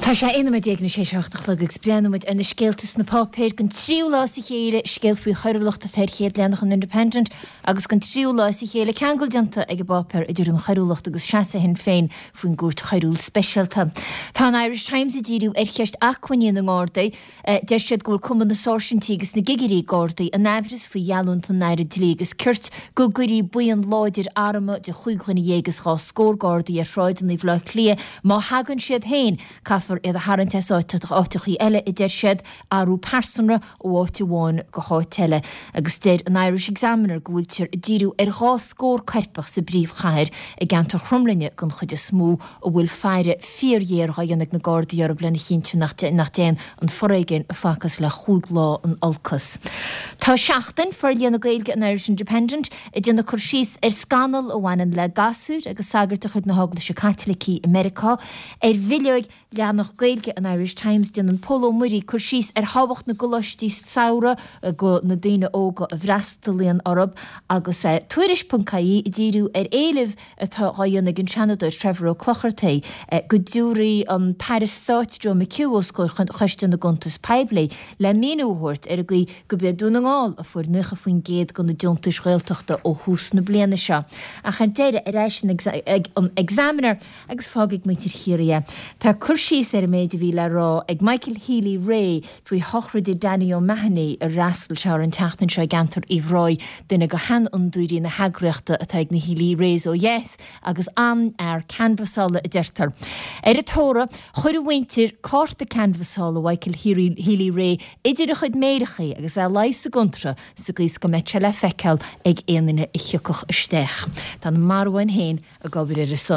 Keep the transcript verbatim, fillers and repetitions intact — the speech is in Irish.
Tá sé aon nóiméad déag tar éis a hocht a chlog agus breathnóidh muid ar na scéalta sna páipéir don tríú lá as a chéile, scéal faoi choiriúlacht atá ar chéad leathanach an Independent agus don tríú lá as a chéile ceangal déanta ag an bpáipéar idir an choiriúlacht agus seasamh Shinn Féin faoin gCúirt Choiriúil Speisialta. Tá an Irish Times ag díriú ar cheist acmhainní na nGardaí. Deir siad go bhfuil Cumann na Sáirsintí agus na gCigirí Gardaí in aimhreas faoi gheallúint an Aire Dlí agus Cirt go gcuirfí buíon láidir armtha de chúig dhuine dhéag is dhá scór Gardaí ar shráideanna Bhaile Átha Cliath má thagann siad féin. Caithfear iad a tharraingt as áiteachaí eile, a deir siad, athrú pearsanra ó áit amháin go háit eile. Agus deir an Irish Examiner go bhfuiltear ag díriú ar dhá scór coirpeach sa bpríomhchathair, i gceantar Chromghlinne den chuid is mó, a bhfuil faire fíorghéar á dhéanamh ag na Gardaí orthu lena chinntiú nach dtéann an foréigean a facthas le chúig lá in olcas. Tá Seachtain, forlíonadh Gaeilge an Irish Independent, ag déanamh cur síos ar scannal a bhaineann le gasúir agus sagairt de chuid na hEaglaise Caitlicí i Meiriceá. Ar bhileoig leathanach Gaeilge an Irish Times, déanann Pól Ó Muirí cur síos ar thábhacht na gcoláistí samhraidh do na daoine óga a bhfreastalaíonn orthu agus Tuairisc ponc ie ag díriú ar éileamh atá á dhéanamh ag an Seanadóir Trevor Ó Clochartaigh go dtabharfaí an tAire Stáit Joe McHugh os comhair Choiste na gCuntas Poiblí le míniú a thabhairt ar an gcaoi gurb é Dún na nGall a fuair naocha faoin gcéad de na deontais Ghaeltachta ó thús na bliana seo. Ach ar deireadh, ar ais ag an Examiner agus fágfaidh muintir Chiarraí é. Tá cur síos ar an méid a bhí le rá ag Michael Healy-Rae faoi shochraide Danny O'Mahony a fhreastail sé air an tseachtain seo i gceantar Uíbh Ráthaigh, duine de sheanfhondúirí na heagraíochta atá ag na Healy-Raes ó dheas agus an-fhear canbhasála a deirtear. Ar an tórramh, chuir a mhuintir cárta canbhasála Mhichael Healy-Rae idir a chuid méireachaí agus é luí sa gcontráth sa gcaoi is go mbeadh sé le feiceáil ag aon duine a thiocfadh isteach. Tá na marbháin féin ag obair ar a son.